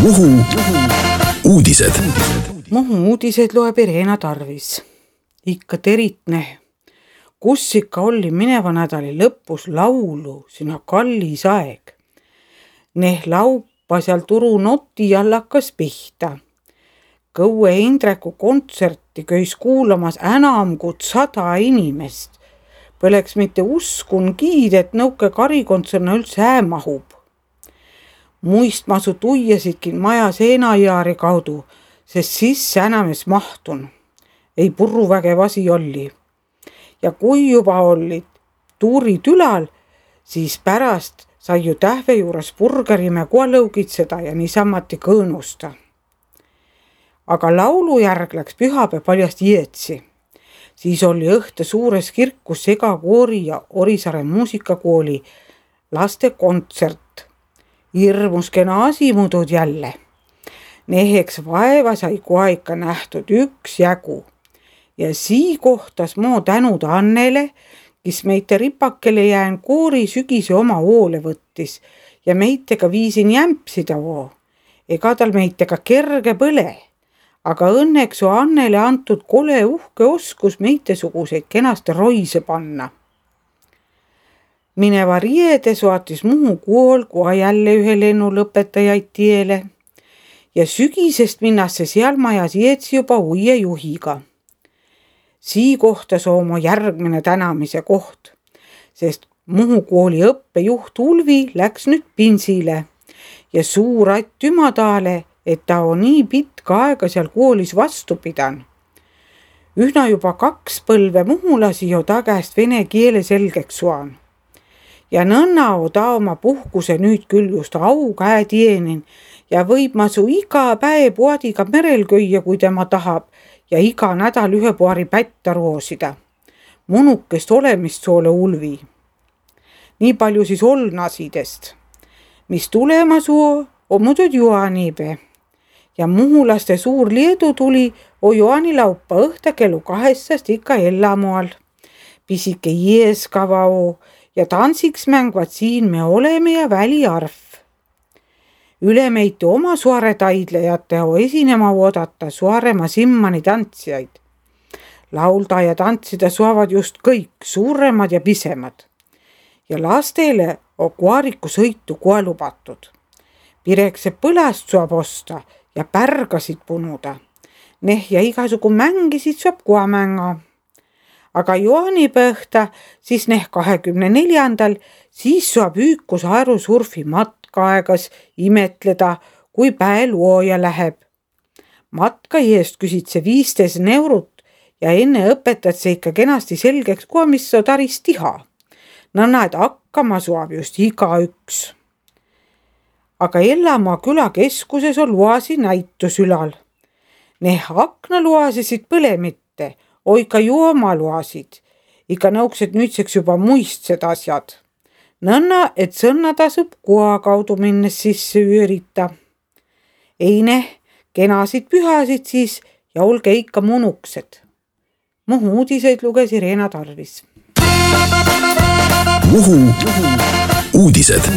Muhu uudised. Muhu uudised loeb Irena Tarvis. Ikka teritne. Kus ikka oli mineva nädali lõpus laulu sinna kallis aeg. Neh laupa seal Turu noti all hakkas pihta. Kõue Indreku kontserti köis kuulamas enam kui 100 inimest. Põleks mitte uskun kiid, et nõuke karikontserna üldse mahub. Muistmasu tuiasidkin maja seenajaari kaudu, sest sisse enames mahtun. Ei purruvägev asi oli. Ja kui juba olid tuurid ülal, siis pärast sai ju tähve juures burgerime koalõugitseda ja niisamati kõõnusta. Aga laulu järg läks pühapäev paljast Ietsi. Siis oli õhte suures kirkus segakoori ja Orisaare muusikakooli laste kontsert. Hirmus kena asimudud jälle. Neheks vaeva sai kohe ikka nähtud üksjagu. Ja sii kohtas moo tänud Annele, kes meite ripakele jään koori sügise oma hoole võttis ja meitega viisin jämpsida voo. Ega tal meitega kerge põle, aga õnneks on Annele antud kole uhke oskus meitesuguseid kenasti roise panna. Mineva riede saatis Muhu kool kohe jälle ühe lennu lõpetajaid tiele ja sügisest minnasse seal majas Ietsi juba uie juhiga. Sii kohtas oma järgmine tänamise koht, sest Muhu kooli õppejuht Ulvi läks nüüd pinsile ja suur att Ümadale, et ta on nii pitka aega seal koolis vastu pidan. Ühna juba 2 põlve muhulasi jo ta käest vene keele selgeks suan. Ja nõnna ta oma puhkuse nüüd küll just au käe tienin ja võib masu iga päev poadiga merel köia, kui tema tahab, ja iga nädal ühe paari pätta roosida. Munukest olemist soole Ulvi. Nii palju siis olnasidest. Mis tulema suo, on muudud juaniibe. Ja muhulaste suur liedu tuli o juanilaupa õhta kellu 2 ikka Ellamoal. Pisike Ieskava o ja tantsiks mängvad siin me oleme ja väliarv. Üle meiti oma Suare taidlejate o esinema oodata Suaremaa Simmani tantsijaid. Laulda ja tantsida suavad just kõik, suuremad ja pisemad. Ja lastele on koariku sõitu kohe lubatud. Pirekse põlast saab osta ja pärgasid punuda. Neh ja igasugu mängisid saab kohe mänga. Aga juanipõhta, siis neh 24. siis saab üükus aerusurfi matkaaegas imetleda, kui päe luoja läheb. Matka eest küsid see 15 eurot ja enne õpetad see ikka kenasti selgeks, kui mis on taris tiha. Nõnna, et hakkama saab just igaüks. Aga Ellamaa külakeskuses on luasi näitus ülal. Neh aknaluasisid põle mitte, oika juomaluasid. Ikka nõuksed nüüdseks juba muistsed asjad. Nõnna, et sõnna tasub koha kaudu minnes sisse üürita. Eine, kenasid pühasid siis ja olge ikka munuksed. Muhu uudiseid luges Irena Tarvis. Muhu uudised.